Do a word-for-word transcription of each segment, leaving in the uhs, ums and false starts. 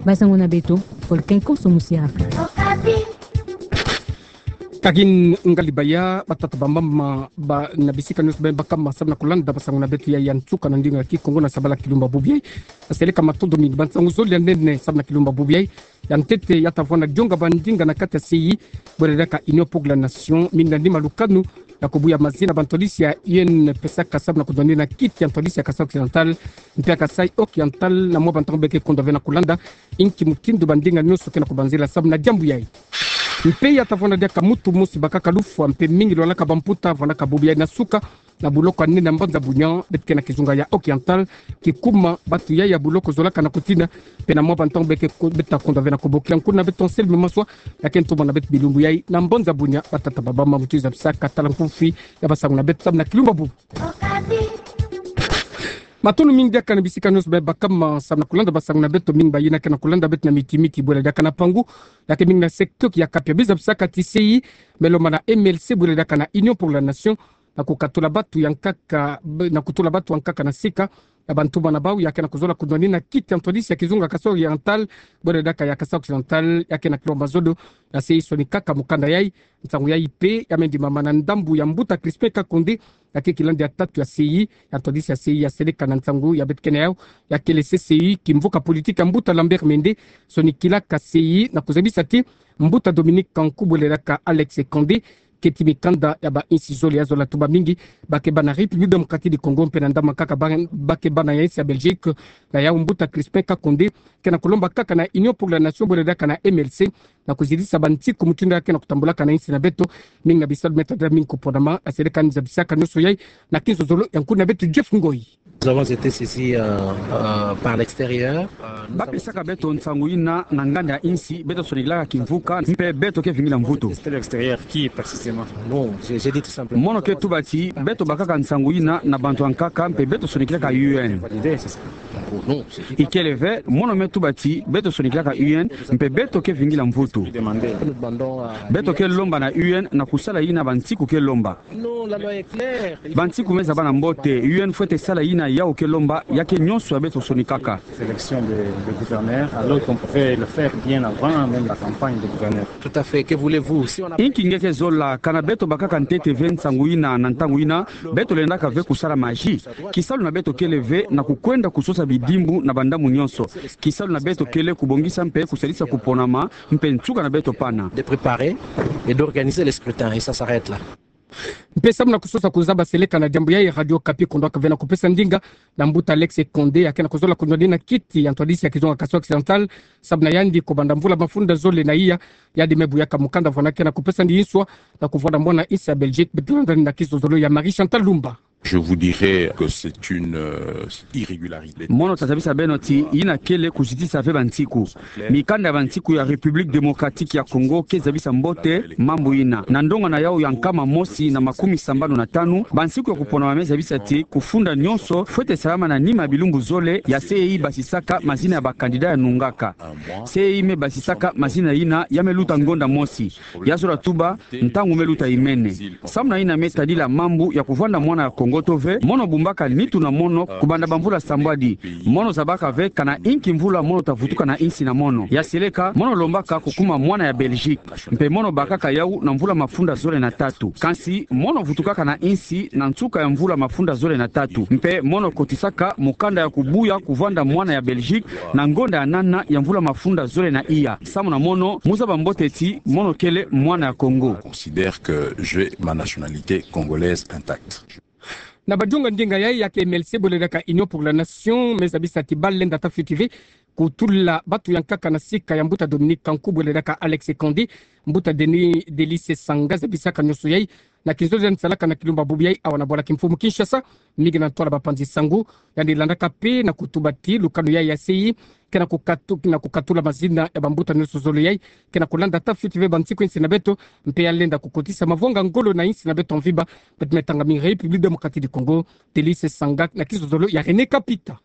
Basango na beto, Paul Kenko Somusiaka. Ka ngali baya, batata bamama, ba na bisika nyonso bebakama, samu na kolanda basango na beto ya, ya nsuka na ndinga ki Kongo na sabala Kilumba Bubiai. Aseleka matondo mingi, bansango zole ya nene, samu na Kilumba Bubiai. Ya ntete, ya tavwanda dionga bandinga na kati ya C I, bwela daka Union pour la Nation, mingi na nima lukanu, na kubuya mazina bantwadisi ya U N pesaka samu na kudonde na kiti ya ntwadisi ya Kasaï Occidental, mpe ya Kasaï Oriental, na mwa bantango beke kondo ve na kolanda, inki mutindu bandinga nyonso ke na kubanzila samu na diambu yai. Mpe ya tavwanda diaka mutu mosi bakaka lufwa, mpe mingi lwalaka bamputa, vwandaka bubu yai na suka, na buloko ya nene ya Mbanza Bunia, beto ke na kizunga ya Oriental, kikuma, batu yai ya buloko zolaka na kutina, mpe na mwa bantango beke ko-, beta kondo ve na kubokia nkuna beto Anselme Maswa, ya ke ntumwa na beto bilumbu yai, na Mbanza Bunia, batata bamama mutu zabisaka tala nkufi, ya basango na beto samu na Kilumba Bubu. Matondo mingi diaka na bisika nyonso bebakama samu na kolanda basango na beto, mingi bayina ke na kolanda beto na miti-miti, bwela diaka na Pangu, ya ke mingi na secteur ya Kapia, be zabisaka ti C I, me lomba na M L C, bwela diaka na Union pour la Nation, na kukatula batu ya nkaka, be-, na kutula batu ya nkaka na sika, ya bantu bana bau, ya ke na kuzola kudonde na kiti ya ntwadisi ya kizunga Kasaï Oriental, bwela daka ya Kasaï Occidental, ya ke na kilomba zodo, ya C I sonikaka mukanda yai, nsangu yai mpe, ya mendimama na ndambu ya mbuta Crispin Kakonde, ya ke kilandi ya tatu ya C I, ya ntwadisi ya C I, ya seleka na nsangu ya beto ke na yau, ya kele C C I, kimvuka politique ya mbuta Lambert Mende, sonikilaka C I, na kuzabisa ti, mbuta Dominique Kanku bwela daka Alex Condé, keti mikanda ya ba insi zole ya zola tuba mingi, ba ke bana République Démocratique du Congo mpe na ndambu kaka ba, ba ke bana ya insi ya Belgique, na yau mbuta Crispin Kakonde, ke na kulomba kaka na Union pour la Nation bwela daka na M L C, na kuzidisa bansiku mutindu ya ke na kutambulaka na insi na beto, mingi na bisalu me tadila mingi kuponama, aseleka ni zabisaka nyonso yai, na kinzozolo ya nkuna beto Jeff Ngoi. Nous avons été saisis, euh, euh, par l'extérieur. Euh, nous avons... Bapesaka beto nsangu yina na nganda ya insi, beto sonikilaka kimvuka, mpe beto ke vingila mvutu. C'était l'extérieur qui, précisément? Non, j'ai, j'ai dit tout simplement. Mono ke tuba ti, beto bakaka nsangu yina na bantu ya nkaka, mpe beto sonikilaka U N. Validé, c'est ça. Non, c'est tout à fait... Ikele ve, mono me tuba ti, beto sonikilaka U N, mpe beto ke vingila mvutu. Nous demandons, euh, beto ke lomba na U N, na kusala yina bansiku ke lomba. Non, la loi est claire. Bansiku me zaba na mbote, U N fwete sala yina yau ke lomba, ya ke nyonso ya beto sonikaka. Sélection de, de gouverneur, alors qu'on pouvait le faire bien avant même la campagne de gouverneur. Tout à fait. Que voulez-vous? Si on a... Inki nge ke zola, kana beto bakaka ntete ve nsangu yina na ntangu yina, beto lendaka ve kusala magie. Kisalu na beto kele ve na kukwenda kusosa bidimbu na bandambu nyonso. Kisalu na beto kele kubongisa mpe kusalisa kuponama, mpe nsuka na beto pana. De préparer et d'organiser les scrutins, et ça s'arrête là. Mpe samu na kusosa kuzaba seleka na diambu yai, Radio Okapi kondwaka ve na kupesa ndinga na mbuta Alex Condé, ya ke na kuzola kundwa dina kiti ya ntwadisi ya kizunga Kasaï Occidental, samu na yandi kubanda mvula mafunda zole na iya, yandi me buyaka mukanda vwanda ke na kupesa ndi inswa na kuvwanda mwana insi ya Belgique, beto landa na kizozolo ya Marie Chantal Lumba. Je vous dirais que c'est une, euh, irrégularité. Mono tazabisa beno ti yina kele kuzitisa ve bansiku. Mikanda ya bansiku ya République Démocratique ya Congo ke zabisa mbote mambu yina. Na ndonga na yau ya nkama mosi na makumi sambanu na tanu, bansiku ya kuponama me zabisa ti kufunda nyonso fwete salama na nima ya bilumbu zole ya C E I basisaka mazina ya ba candidat ya nungaka. C E I me basisaka mazina yina ya me luta ngonda mosi. Ya zola tuba, ntangu me luta imene. Samu na yina me tadila mambu ya kuvwanda mwana ya Congo to ve, mono bumbaka nitu na mono kubanda bamvula sambwadi. Mono zabaka ve kana inki mvula mono tavutuka na insi na mono. Ya seleka, mono lombaka kukuma mwana ya Belgique. Mpe mono bakaka yau na mvula mafunda zole na tatu. Kansi, mono vutukaka na insi na nsuka ya mvula mafunda zole na tatu. Mpe mono kotisaka mukanda ya kubuya kuvwanda mwana ya Belgique na ngonda ya nana ya mvula mafunda zole na iya. Samu na mono, mu zaba mbote ti mono kele mwana ya Congo. Considère que j'ai ma nationalité congolaise intacte. Na badunga ndinga yai, ya ke M L C bwele daka Union pour la Nation, me zabisa ti ba lenda ta fioti ve kutula batu ya nkaka na sika ya mbuta Dominique Kanku bwele daka Alex Condé, mbuta Denis Delice Sanga zabisaka nyonso yai, na kinzo zandi salaka na kilumba bubu yai awa na bwala kimfumu Kinshasa, mingi na ntwala bapanzi sango, yandi landaka mpe na kutuba ti lukanu yai ya C E I ke na kukatu-, na kukatula mazina ya bambuta nyonso zole yai, ke na kulanda ta fioti ve bansiku ya insi na beto, mpe ya lenda kukotisa mavwanga ngolo na insi na beto mvimba, beto me tanga mi République Démocratique du Congo, Delice Sanga na kizozolo ya René Kapita.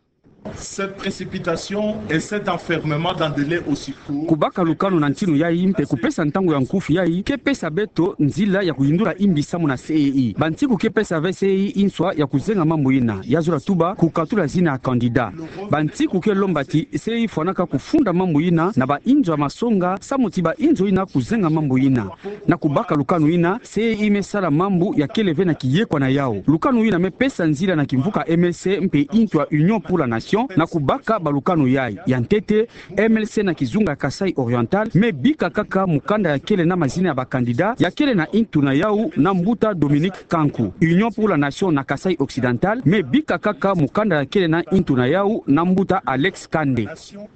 Cette précipitation et cet enfermement dans des délais aussi courts. Kubaka lukanu na ntinu yayi mpe kupesa ntangu ya nkufi yayi ke pesa beto nzila ya kuyindula imbi samu na C E I. Bantiku ke pesa ve C E I nswa ya kuzenga mambu yina, ya zola tuba kukatula zina ya candidat. Bantiku ke lomba ti C E I fwanaka kufunda mambu yina na bainzo ya masonga, samu ti bainzo yina kuzenga mambu yina. Na kubaka lukanu yina, C E I me sala mambu ya kele ve na kiyekwa na yawu. Lukanu yina me pesa nzila na kimvuka M L C mpe intu ya Union pour la Nation na kubaka balukanu yayi. Ya ntete, M L C na kizunga ya Kasaï Oriental me bika kaka mukanda ya kele na mazina ya ba candidat ya kele na intu na yawu na mbuta Dominique Kanku. Union pour la Nation na Kasaï Occidental me bika kaka mukanda ya kele na intu na yawu na mbuta Alex Kande.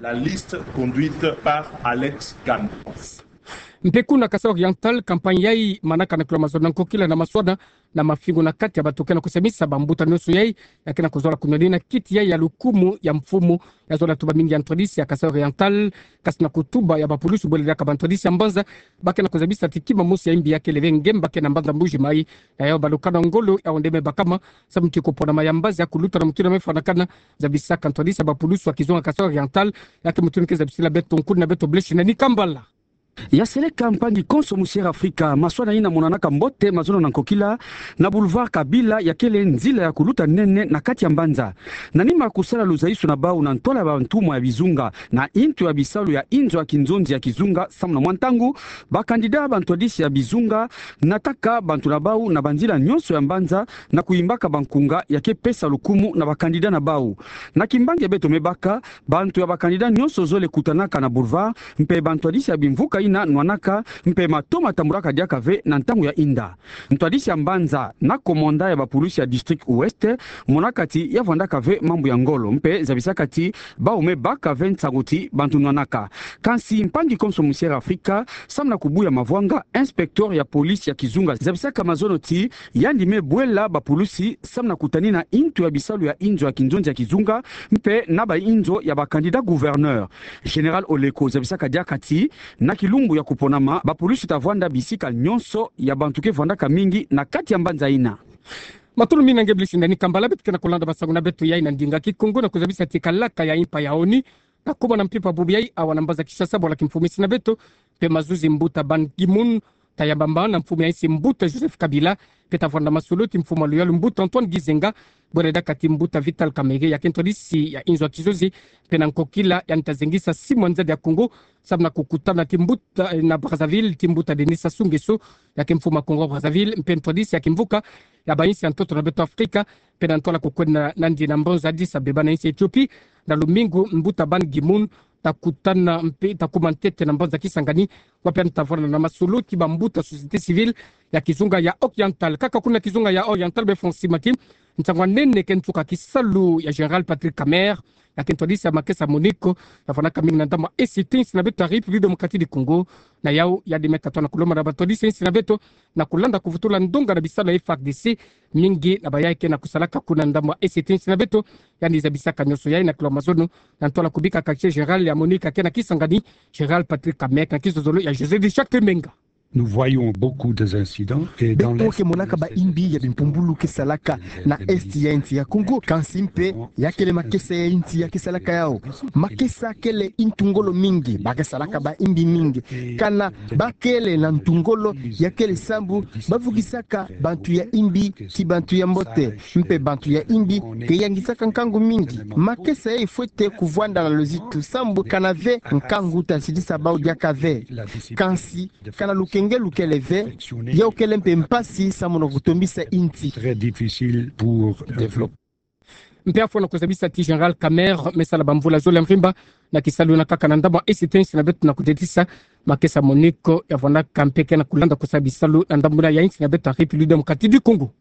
La liste conduite par Alex Kande. Mpe kuna Kasaï Oriental, campagne yayi manaka na kilo mazono na nkokila na maswana na mafingu na kati ya bato ke na kusemisa bambuta nyonso yayi ya ke na kuzola kunwanina kiti yayi ya lukumu ya mfumu, ya zola tuba mingi ya ntwadisi ya Kasaï Oriental, kasi na kutuba ya bapulusu bwele diaka bantwadisi ya mbanza, ba ke na kuzabisa ti kima mosi ya imbi ya kele ve ngemba ke na mbanza Mbuji-Mayi. Ya yawu balukanu ya ngolo yawu nde me bakama samu ti kuponama ya mbazi ya kuluta na mutu yina me fwanakana. Zabisaka ntwadisi ya bapulusu ya kizunga Kasaï Oriental, ya ke mutu yina ke zabisila beto nkuni na beto Blaise Nani Kambala. Ya seleka mpangi konso Musière Afrika, maswana yina monanaka mbote mazono na nkokila na boulevard Kabila, ya kele nzila ya kuluta nene na kati ya mbanza. Na nima kusala luzaisu na bawu na ntwala ya bantumwa ya bizunga na intu ya bisalu ya inzo ya kinzonzi ya kizunga samu na mwa ntangu, ba candidat bantwadisi ya bizunga nataka bantu na bawu na banzila nyonso ya mbanza na kuyimbaka bankunga ya ke pesa lukumu na ba candidat na bawu. Na kimbangi ya beto me baka, bantu ya ba candidat nyonso zole kutanaka na boulevard, mpe bantwadisi ya bimvuka yina nwanaka, mpe mato matambulaka diaka ve na ntangu ya inda. Ntwadisi ya mbanza na commandant ya bapulusu ya district Ouest monaka ti ya vwandaka ve mambu ya ngolo, mpe zabisaka ti bawu me baka ve nsangu ti bantu nwanaka. Kansi mpangi konso Musière Afrika, samu na kubuya mavwanga, inspecteur ya police ya kizunga zabisaka mazono ti yandi me bwela bapulusi samu na kutanina intu ya bisalu ya inzo ya kinzonzi ya kizunga, mpe na bainzo ya ba candidat gouverneur. Général Oleko zabisaka diaka ti na kilumbu ya kuponama, bapulusi ta vwanda bisika nyonso ya bantu ke vwandaka mingi na kati ya mbanza yina. Matondo mingi na nge Blaise Nani Kambala. Beto ke na kulanda masangu na beto yayi na ndinga Kikongo na kuzabisa ti kalaka ya impa ya ONU ta kuma na mpimpa bubu yayi awa na mbanza Kinshasa, bwala kimfumu insi na beto mpe mazuzi, mbuta Ban Ki-moon, ta yamba mbangi na mfumu ya insi, mbuta Joseph Kabila, mpe ta vwanda masolo ti mfumu ya luyalu, mbuta Antoine Gizenga, bwele diaka ti mbuta Vital Kamerhe, ya ke ntwadisi ya inzo ya kizozi, mpe na nkokila yandi ta zengisa simu ya nzadi ya Kongo samu na kukutana ti mbuta, eh, na Brazzaville, ti mbuta Denis Sassou Nguesso, ya ke mfumu ya Congo Brazzaville, mpe ntwadisi ya kimvuka ya bainsi ya ntoto na beto Afrika, mpe na ntwala kukwenda nandi na mbanza Addis Abeba na insi ya Ethiopie. Na lumingu, mbuta Ban Ki-moon ta kutana mpe ta kuma ntete na mbanza Kisangani, wapi yandi ta vwanda na masolo ti bambuta société civile ya kizunga ya Oriental. Kaka kuna kizunga ya Oriental, beno fwa simaki nsangu ya nene ke nsuka kisalu ya Général Patrick Kamerhe, ya ke ntwadisi ya makesa MONUC, ya vwandaka mingi na ndambu ya E C T, insi na beto ya République Démocratique du Congo. Na yawu yandi me katoa na kulomba na bantwadisi ya insi na beto na kulanda kuvutula ndonga na bisalu ya F A R D C, mingi na bayayi ke na kusalaka kuna ndambu ya E C T, insi na beto. Yandi zabisaka nyonso yayi na kilo mazono na ntwala kubika quartier général ya MONUC ya ke na Kisangani, Général Patrick Kamerhe, na kizozolo ya José de Châtemenga. Nous voyons beaucoup des incidents et dans l'est de ce pays. Beto ke monaka baimbi ya bimpumbulu ke salaka na est ya insi ya Congo, kansi mpe ya kele makesa ya insi ya ke salaka yawu. Makesa kele ntu ngolo mingi, ba ke salaka baimbi mingi. Kana ba kele na ntu ngolo, ya kele sambu ba vugisaka bantu ya imbi ti bantu ya mbote, mpe bantu ya imbi ke yangisaka nkangu mingi. Makesa yayi fwete kuvwanda na luzitu sambu kana ve nkangu ta sidisa bawu diaka ve. Kansi kana lukenge lukele ve, yawu kele mpe mpasi samu na kutombisa insi. Très difficile pour développer. Mpe afwa na kuzabisa ti Général Kamerhe me sala bamvula zole ya mvimba na kisalu na kaka na ndambu ya E C T, insi na beto, na kudetisa makesa MONUC ya vwandaka mpe ke na kulanda kusala bisalu na ndambu ya insi na beto ya République Démocratique du Congo.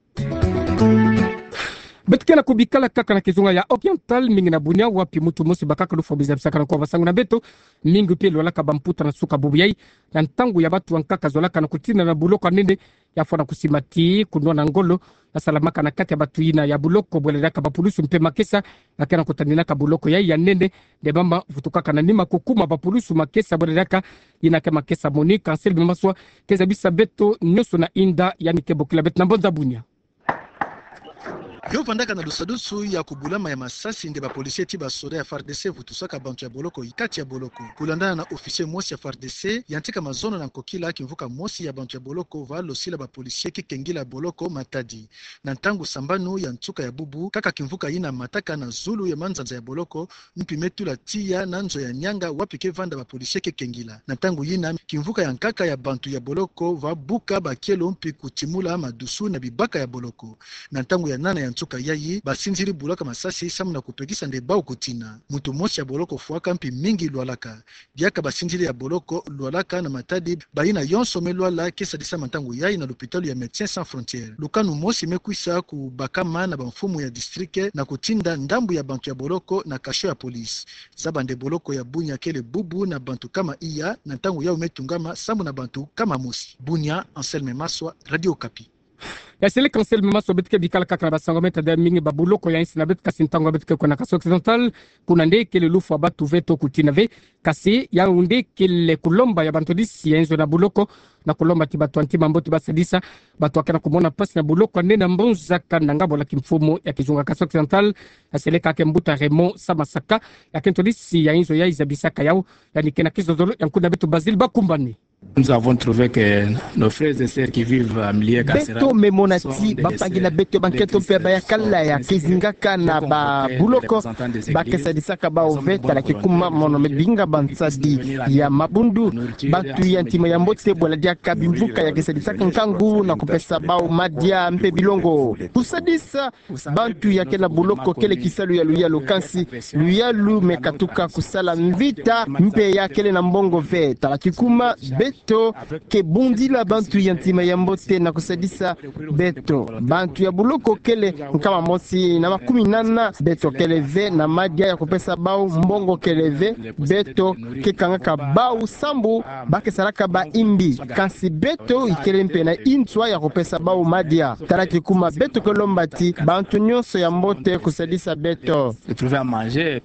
Beto ke na kubikala kaka na kizunga ya Oriental, mingi na bunia, wapi muntu mosi bakaka lufwa bu zabisaka na kwa basangu na beto, mingi mpe lwalaka bamputa na suka bubu yayi, na ntangu ya bantu bankaka zolaka na kutinda na buloko ya nene. Ya fwa na kusima ti kunwana ngolo ya salamaka na kati ya bantu yina ya buloko, bwele diaka bapulusu mpe makesa ya ke na kutaninaka buloko yayi ya nene, nde mama vutukaka na nima kukuma bapulusu makesa, bwele diaka yina ke makesa MONUC, kansi bima maswa ke zabisa beto nyonso na inda yandi ke bokila beto na mbanza Bunia. Yo vandaka na lusadusu ya kubulama ya masasi nde ba policiers ti ba soda ya F A R D C vutusaka bantu ya boloko kati ya boloko. Kulandana na officier mosi ya F A R D C, yantika mazono na nkokila kimvuka mosi ya bantu ya boloko va losila ba policiers kikengila boloko matadi. Na ntangu sambanu ya nsuka ya bubu, kaka kimvuka yina mataka na zulu ya manzanza ya boloko, mpi me tula tiya na nzo ya Nianga wapi ke vanda ba policiers kikengila. Na ntangu yina, kimvuka ya nkaka ya bantu ya boloko va buka ba kielo mpi kutimula madusu na bibaka ya boloko. Na ntangu ya nana ya nsuka yayi, basinzili bulaka masasi samu na kupekisa nde bau kutina. Muntu mosi ya boloko fwaka mpi mingi lwalaka. Diaka basinzili ya boloko lwalaka na matadi, bayina yonso me lwala ke sadisama ntangu yayi na lupitalu ya Médecins Sans Frontières. Lukanu mosi me kwisa kubakama na bamfumu ya district na kutinda ndambu ya bantu ya boloko na cachot ya police. Zaba nde boloko ya Bunia kele bubu na bantu kama iya, na ntangu yau me tungama sambu na bantu kama mosi. Bunia, Anselme Maswa, Radio Okapi. Ya seleka Anselme Maswa, beto ke bikala kaka na basango me tada mingi ba boloko ya nsi na beto, kasi ntangu beto ke kwenda na Kasaï Occidental, kuna nde kele lufwa batu ve to kutina ve, kasi yau nde kele kulomba ya bantwadisi ya nzo na boloko, na kulomba ti batu ya ntima mbote basadisa batu ya ke na kumona mpasi na boloko ya nde na mbonza kana nga bola kimfumu ya kizunga Kasaï Occidental, ya seleka ke mbuta Raymond Samasaka, ya ke ntwadisi ya nzo ya zabisaka yau, yandi ke na kizozolo ya nkuna beto Basile Bakumbane. Nous avons trouvé que nos frères et sœurs qui vivent à Milieka Sera, beto me mona ti bampangi na beto ya bankento mpe bayakala ya ke zingaka na ba boloko, ba ke sadisaka bau ve, tala kikuma mono me binga bansadi ya mabundu. Bantu ya ntima ya mbote bwala diaka bimvuka ya ke sadisaka nkangu na kupesa bau madia mpe bilongo. Kusadisa bantu ya ke na boloko kele kisalu ya luyalu, kansi luyalu me katuka kusala mvita mpe ya kele na mbongo ve. Tala kikuma beto ke bundila bantu ya ntima ya mbote na kusadisa beto. Bantu ya boloko kele nkama mosi na makumi nana, beto kele ve na madia ya kupesa bau, mbongo kele ve, beto ke kangaka bau sambu ba ke salaka ba imbi. Kansi beto ikele mpe na nswa ya kupesa bau madia. Tala kikuma beto ke lomba ti bantu nyonso ya mbote kusadisa beto. Se trouver à manger.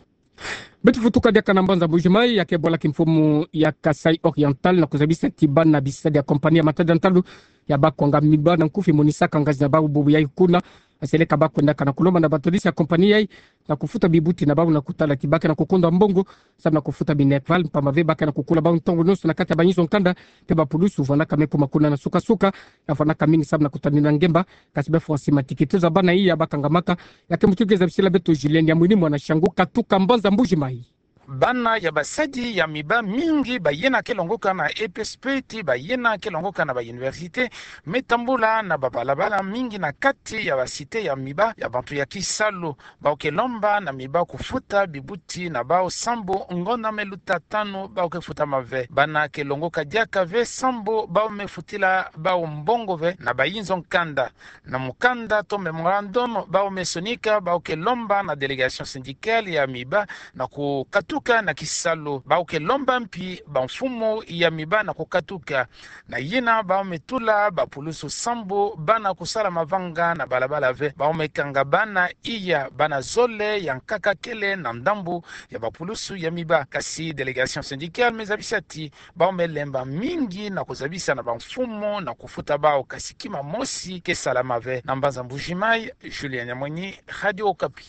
Beto futuka diaka na mbanza Mbuji-Mayi, ya ke bwala kimfumu ya Kasaï Oriental na kuzabisa ti bana bisadi ya compagnie ya matadi ya ntalu ya ba kwanga miba na nkufi monisaka ngazi na bau bubu yayi kuna, ya seleka ba kwendaka na kulomba na bantwadisi ya compagnie yayi na kufuta bibuti na bau na kutala ti ba ke na kukunda mbongo samu na kufuta minerval, mpamba ve ba ke na kukula bau ntangu nyonso na kati ya bayinzo nkanda, mpe bapulusu vwanaka me kuma kuna na suka-suka, ya vwanaka mingi samu na kutanina ngemba. Kasi be Francis Matiki, teza bana iya ba kangamaka, ya ke mutu ke zabisila beto Julien Nyamwini mwana Shangu, katuka mbanza Mbuji-Mayi. Bana ya basadi ya miba mingi, bayina ke longoka na E P S P ti bayina ke longoka na ba université, me tambula na babalabala mingi na kati ya ba cité ya miba ya bantu ya kisalu. Bau ke lomba na miba kufuta bibuti na bau sambu ngonda me luta tanu bau ke futama ve. Bana ke longoka diaka ve sambu bau me futila bau mbongo ve na bayinzo nkanda. Na mukanda to mémorandum bau me sonika, bau ke lomba na délégation syndicale ya miba na kukatuka na kisalu. Bau ke lomba mpi bamfumu ya miba na kukatuka. Na yina bau me tula bapulusu sambu bana kusala mavanga na balabala ve. Bau me kanga bana iya, bana zole ya nkaka kele na ndambu ya bapulusu ya miba. Kasi délégation syndicale me zabisa ti bau me lemba mingi na kuzabisa na bamfumu na kufuta bau, kasi kima mosi ke salama ve. Na mbanza Mbuji-Mayi, Julien Nyamwini, Radio Okapi.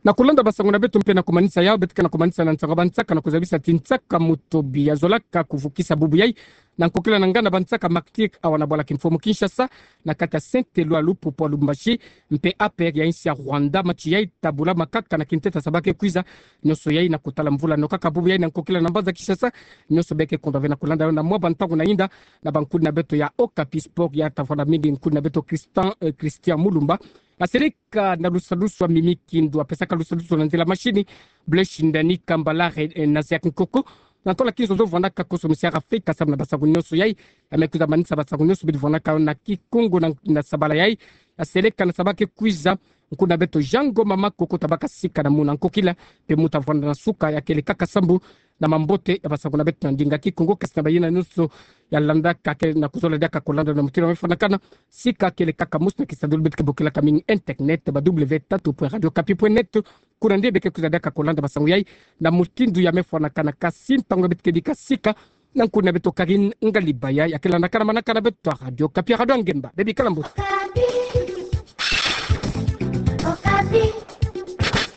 Na kulanda basango na beto mpe na kumanisa yau, beto ke na kumanisa na nsaka bansaka na kuzabisa ti nsaka Mutobi ya zolaka kuvukisa bubu yayi na nkokila na nganda bansaka Martyrs awa na bwala kimfumu Kinshasa, na kati ya Saint-Éloi, Lupopo, Lubumbashi, mpe APR ya insi ya Rwanda. Match yayi ta bula makaka na kinteta sa ba ke kwiza. Nyonso yayi na kotala mvula no kaka bubu yayi na nkokila na mbanza Kinshasa. Nyonso be ke kondwa ve na kulanda yo na mwa bantangu na yinda na bankuni na beto ya Okapi Sport, ya ta vwanda mingi nkuni na beto Christian, eh, Christian Mulumba. Asereka na lusadusu ya mimi kindu, apesaka lusadusu na nzila mashini, Blaise Ndani, Kambala, eh, na Ziak Nkoko. Na ntola kinzo zo vwandaka koso misiara fei ka samu na basango nyonso yayi. Ya me kwiza manisa basango nyonso bidi vwandaka na Kikongo na, na sabala yayi. Asereka na sa ba ke kwiza, nkuni na beto Jean Ngoma Makoko ta baka sika na muna nkokila, mpe mu ta vwanda na suka ya kele kaka sambu na mambote ya basango na beto na ndinga Kikongo, kasi na bayina nyonso ya landaka ke na kuzola diaka kolanda na mutindu ya me fwanakana, sika kele kaka mosi na kisadulu beto ke bokilaka mingi internet, ba w tatu point radio okapi point net. Kuna nde be ke kwiza diaka kolanda basango yayi na mutindu ya me fwanakana, kasi ntangu beto ke bika sika na nkuni na beto Karine Ngalibaya, ya ke landaka na manaka na beto ya Radio Okapi, Radio ya Ngemba. Be bikala mbote.